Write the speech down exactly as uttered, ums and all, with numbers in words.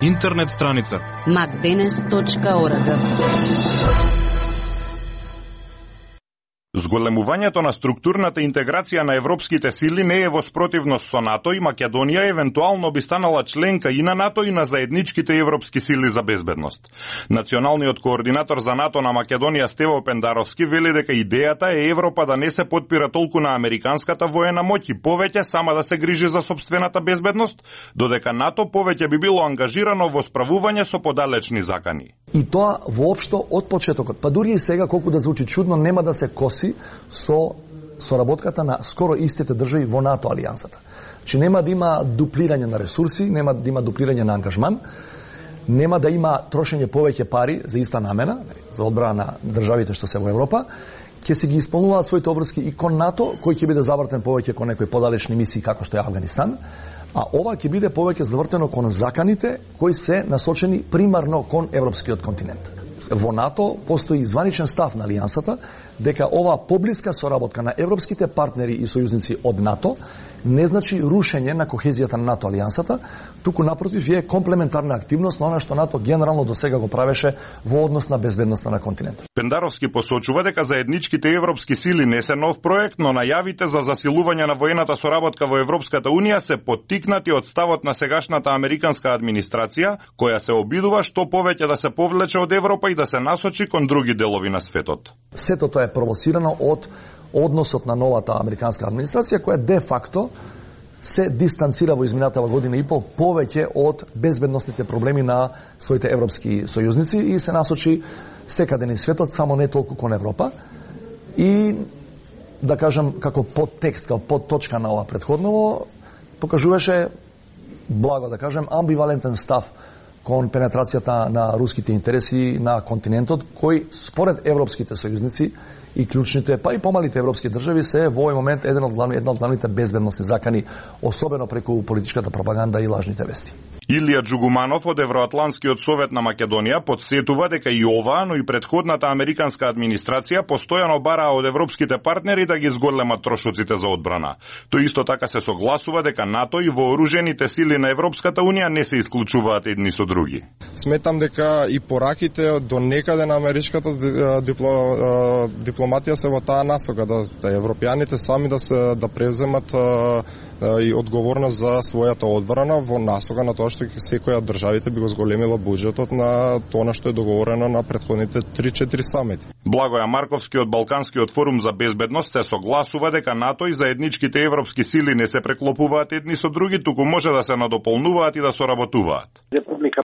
Интернет страница макденес точка орг. Зголемувањето на структурната интеграција на европските сили не е во спротивност со НАТО и Македонија евентуално би станала членка и на НАТО и на заедничките европски сили за безбедност. Националниот координатор за НАТО на Македонија Стево Пендаровски вели дека идејата е Европа да не се подпира толку на американската воена моќ и повеќе сама да се грижи за сопствената безбедност, додека НАТО повеќе би било ангажирано во справување со подалечни закани. И тоа воопшто од почетокот, па дури и сега колку да звучи чудно, нема да се коси со соработката на скоро истите држави во НАТО алијансата. Че нема да има дуплирање на ресурси, нема да има дуплирање на ангажман, нема да има трошење повеќе пари за иста намена, за одбрана на државите што се во Европа, ќе се ги исполнуваат своите обврски и кон НАТО, кој ќе биде завртен повеќе кон некои подалечни мисии како што е Авганистан, а ова ќе биде повеќе завртено кон заканите кои се насочени примарно кон европскиот континент. Во НАТО постои званичен став на алијансата дека ова поблиска соработка на европските партнери и сојузници од НАТО не значи рушење на кохезијата на НАТО алијансата, туку напротив е комплементарна активност на она што НАТО генерално до сега го правеше во однос на безбедноста на континентот. Пендаровски посочува дека заедничките европски сили не се нов проект, но најавите за засилување на воената соработка во Европската унија се поттикнати од ставот на сегашната американска администрација, која се обидува што повеќе да се повлече од Европа и да се насочи кон други делови на светот. Сето тоа е провоцирано од односот на новата американска администрација, која де факто се дистанцира во изминатава година и пол повеќе од безбедносните проблеми на своите европски сојузници и се насочи секаде низ светот, само не толку кон Европа. И, да кажам, како подтекст, како подточка на ова претходново, покажуваше, благо да кажем, амбивалентен став кон пенетрацијата на руските интереси на континентот, кој според европските сојузници и клучните, па и помалите европски држави се во овој момент еден од главни, една од главните безбедносни закани, особено преку политичката пропаганда и лажните вести. Илија Джугуманов од Евроатланскиот совет на Македонија подсетува дека и оваа, но и претходната американска администрација постојано бараа од европските партнери да ги зголемат трошоците за одбрана. Тој исто така се согласува дека НАТО и вооружените сили на Европската унија не се исклучуваат едни со други. Сметам дека и пораките до некаде на америчката дипло, дипломатија се во таа насока, да, да европјаните сами да се да преземат и одговорност за својата одбрана во насока на тоа што секоја од државите би го зголемила буџетот на тоа што е договорено на претходните три-четири самити. Благоја Марковски од Балканскиот форум за безбедност се согласува дека НАТО и заедничките европски сили не се преклопуваат едни со други, туку може да се надополнуваат и да соработуваат.